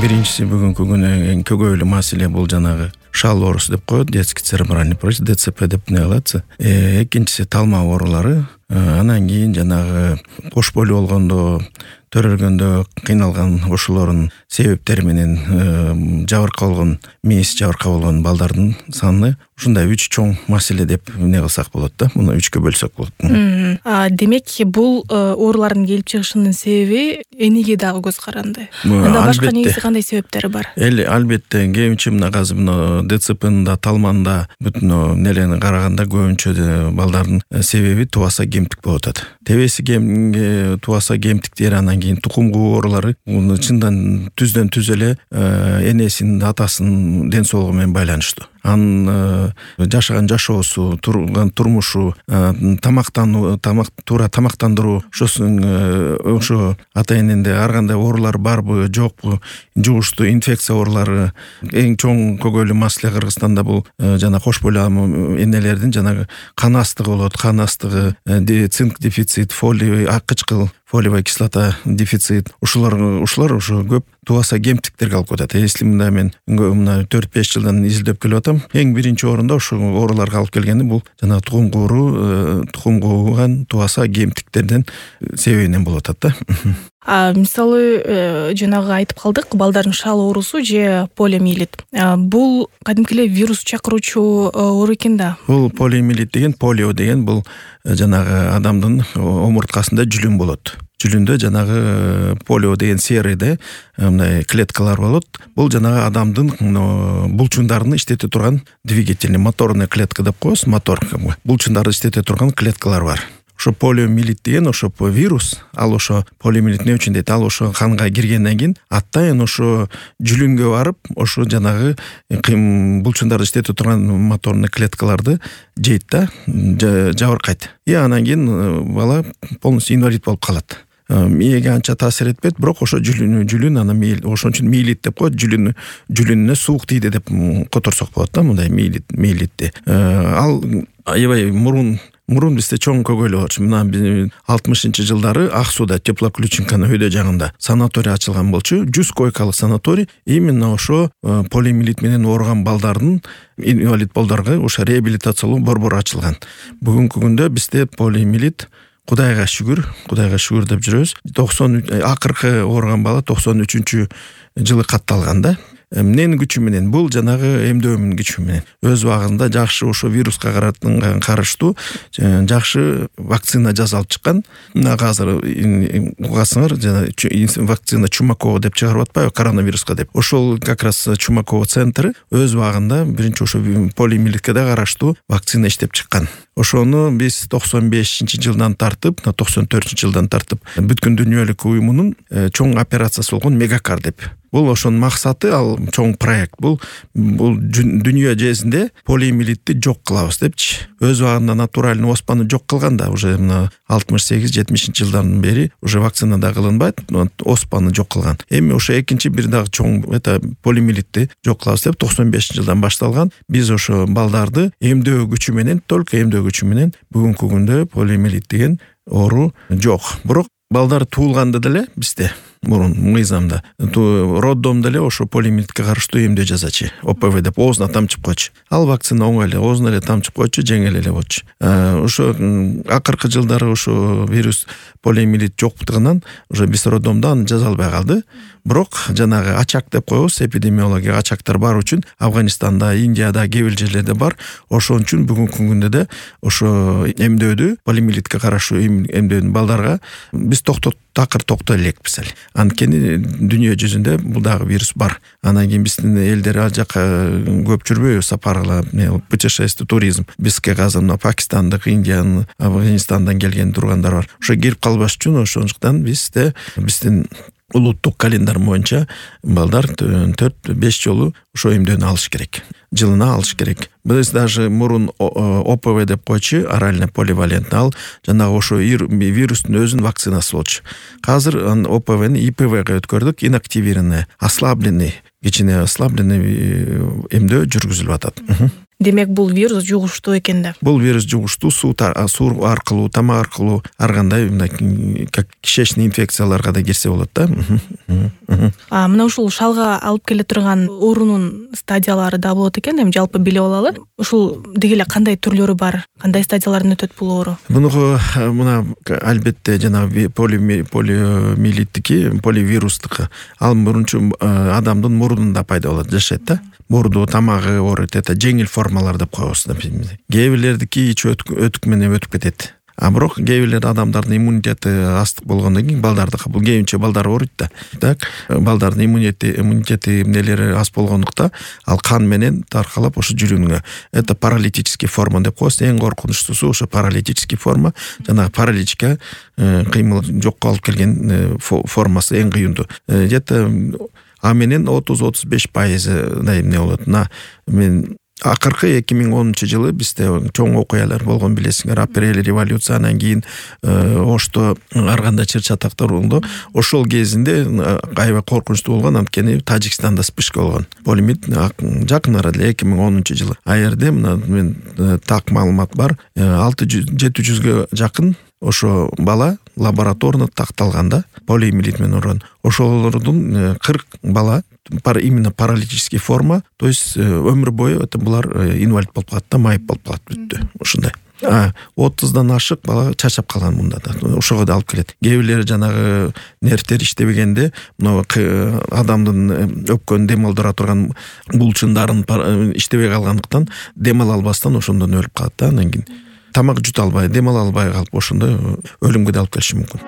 Биринчиси бүгүнкү күнү эң көбөйлүү маселе бул жанагы шал оорусу деп коет, детский церебральный паралич, ДЦП деп не кылат. Экинчиси талма оорулары. Анан кийин жанагы кош бойлуу болгондо, төрөлгөндө кыйналган ошолордун себептери менен жабыркап болгон, мээси жабыркап болгон балдардын саны ушундай 3 чоң маселе деп эмне кылсак болот да. Муну 3кө бөлсөк болот. Демек бул оорулардын келип чыгышынын себеби энеге дагы көз каранды. Анда башка негизи кандай себептери бар? Албетте кээбинче мына азыр мына ДЦПнын да, талманын да бүтүн нелени караганда көбүнчө балдардын себеби тубаса кемтик болуп атат. Тебеси тубаса кемтиктери, анан кийин тукум куу оорулары муну чындан түздөн түз эле энесинин, атасынын ден соолугу менен байланыштуу. Анын жашаган жашоосу, турган турмушу, туура тамактандыруу, ошо ата эненде ар кандай оорулар барбы, жокпу, жугуштуу инфекция оорулары. Эң чоң көбөйлүү маселе Кыргызстанда бул жана кош бойлуу энелердин жанагы кан астыгы болот. Кан астыгы, цинк дефицит, фолиевый акычкыл, фолиевая кислота дефицит. Ушулар ошо көп тубаса кемтиктерге алып кетет. Если мен 4-5 жылдан изилдеп келип атам, эң биринчи орунда ошо ооруларга алып келгени бул жана тукум кууган тубаса кемтиктерден себебинен болуп атат да. Мисалы, жанагы айтып калдык, балдардын шал оорусу же полиомиелит. Бул кадимки эле вирус чакыруучу оору экен да. Бул полиомиелит деген, полио деген бул жанагы адамдын омурткасында жүлүн болот. Жүлүндө жанагы полио деген серийде мындай клеткалар болот. Бул жанагы адамдын булчундарын иштете турган двигательный, моторный клетка деп коебуз, мотор. Булчундарды иштете турган клеткалар бар. Ошо полиомиелит деген ошо вирус, ал ошо полиомиелит эмне үчүн дейт? Ал ошо канга киргенден кийин атайын ошо жүлүнгө барып, ошо жанагы булчундарды иштете турган моторный клеткаларды жейт да, жабыркайт. Анан кийин бала полностью инвалид болуп калат. Мээге анча таасир этпейт, бирок ошо жүлүн анан ошон үчүн миелит деп коет. Жүлүнүнө суук тийди деп которсок болот да, мындай миелитти. Ал аябай мурун бизде чоң көйгөйлүү болчу. Мына 60-жылдары Ак сууда, Теплоключенканын өйдө жагында санаторий ачылган болчу. 100 койкалык санаторий именно ошо полиомиелит менен ооруган балдардын, инвалид балдарга ошо реабилитациялоо борбору ачылган. Бүгүнкү күндө бизде полиомиелит Кудайга шүгүр деп жүрөбүз. Акыркы ооруган бала 93-жылы катталган да. Эмненин күчү менен? Бул жанагы эмдөөмүн күчү менен. Өз убагында жакшы ошо вируска караштуу жакшы вакцина жасалып чыккан. Мына азыр угасыңар, жана вакцина Чумакова деп чыгарып атпайбы, коронавируска деп. Ошол как раз Чумакова центры өз убагында биринчи ошо полиомиелитке да караштуу вакцина иштеп чыккан. Ошону биз 95-жылдан тартып, 94-жылдан тартып бүткүн дүйнөлүк уюмунун чоң операциясы болгон Мегакар деп. Бул ошонун максаты, ал чоң проект. Бул дүйнө жезинде полиомиелитти жок кылабыз депчи. Өз убагында натуральный оспаны жок кылганда, уже 68-70 жылдан бери уже вакцина да кылынбайт, оспаны жок кылган. Эми ошо экинчи бир дагы чоң полиомиелитти жок кылабыз деп 95-жылдан башталган. Биз ошо балдарды эмдөө күчү менен, только эмдөө күчү менен бүгүнкү күндө полиомиелит деген оору жок. Бирок балдар туулганда деле бизде мурун мыйзамда роддомдо эле ошо полиомиелитке караштуу эмдөө жасачы. ОПВ деп оозуна тамчып койчу. Ал вакцина оңой эле оозуна эле тамчып койчу, жеңил эле болчу. Ошо акыркы жылдары ошо вирус полиомиелит жоктугунан уже биз роддомдо аны жаза албай калды. Бирок жанагы ачак деп коебуз, эпидемиология ачактар бар үчүн Афганистанда, Индияда, кээ бир жерлерде бар. Ошон үчүн бүгүнкү күндө да ошо эмдөөдү, полиомиелитке караштуу эмдөөдү балдарга биз такыр токтой элекпиз эле. Анткени дүйнө жүзүндө бул дагы вирус бар. Анан кийин биздин элдер ал жака көп жүрбөйбү, сапарлап, путешествие, туризм. Бизге азыр Пакистандык, Индиянын, Афганистандан келген тургандар бар. Ошо кирип калбаш үчүн ошондуктан биздин улуттук календар боюнча балдар 4-5 жолу ошо эмдөөнү алыш керек. Жылына алыш керек. Биз даже мурун ОПВ деп койчу, орально поливалентный, ал жанагы ошо вирустун өзүнүн вакцинасы болчу. Азыр ОПВны ИПВга өткөрдүк, инактивированный, ослабленный, кичине ослабленный эмдөө жүргүзүлүп атат. демек бул вирус жугуштуу экен да. Бул вирус жугуштуу, суу аркылуу, тамак аркылуу, ар кандай как кишечный инфекцияларга да кирсе болот да. Мына ушул шалга алып келе турган оорунун стадиялары да болот экен. Эми жалпы билип алалы. Ушул деги эле кандай түрлөрү бар? Кандай стадиялардан өтөт бул оору? Мунуга мына албетте жанагы полиомиелиттики, поливирустук. Ал мурунчу адамдын мурдунда пайда болот, жашайт да. Мурду, тамагы ооруйт, это жеңил формалар деп коебуз. Кээ бирлердики ич өтүк менен өтүп кетет. Бирок кээ бирлер адамдардын иммунитети астык болгондон кийин балдардыкы бул кээбинче балдар ооруйт да. Так, балдардын иммунитети эмнелери аз болгондукта ал кан менен таркалап ошо жүрүүнгө. Это паралитический форма деп коебуз. Эң коркунучтуусу ошо паралитический форма. Жанагы параличке кыймыл жокко алып келген формасы эң кыйындуу. Где-то менен 30-35% эмне болот. Мен акыркы 2010-жылы бизде чоң окуялар болгон, билесиңер, апрель революциянан кийин Ошто ар кандай чыр-чатактар болду. Ошол кезинде аябай коркунучтуу болгон, анткени Тажикстанда вспышка болгон. Полиомиелит жакын арада 2010-жылы. А жерде мен так маалымат бар, 600-700гө жакын ошо бала лабораторно такталган да, полиомиелит менен ооруган. Ошолордун 40 бала именно паралитический форма, то есть өмүр бою это булар инвалид болуп калат да, майып болуп калат, бүттү. Ушундай. 30дан ашык бала чачап калган мында да. Ошого да алып келет. Кээ бирлери жанагы нервтер иштебегенде, адамдын өпкөн дем алдыра турган булчундарын иштебей калгандыктан дем ала албастан ошондон өлүп калат да. Анан кийин тамак жута албай, дем ала албай калып ошондой өлүмгө да алып келиши мүмкүн.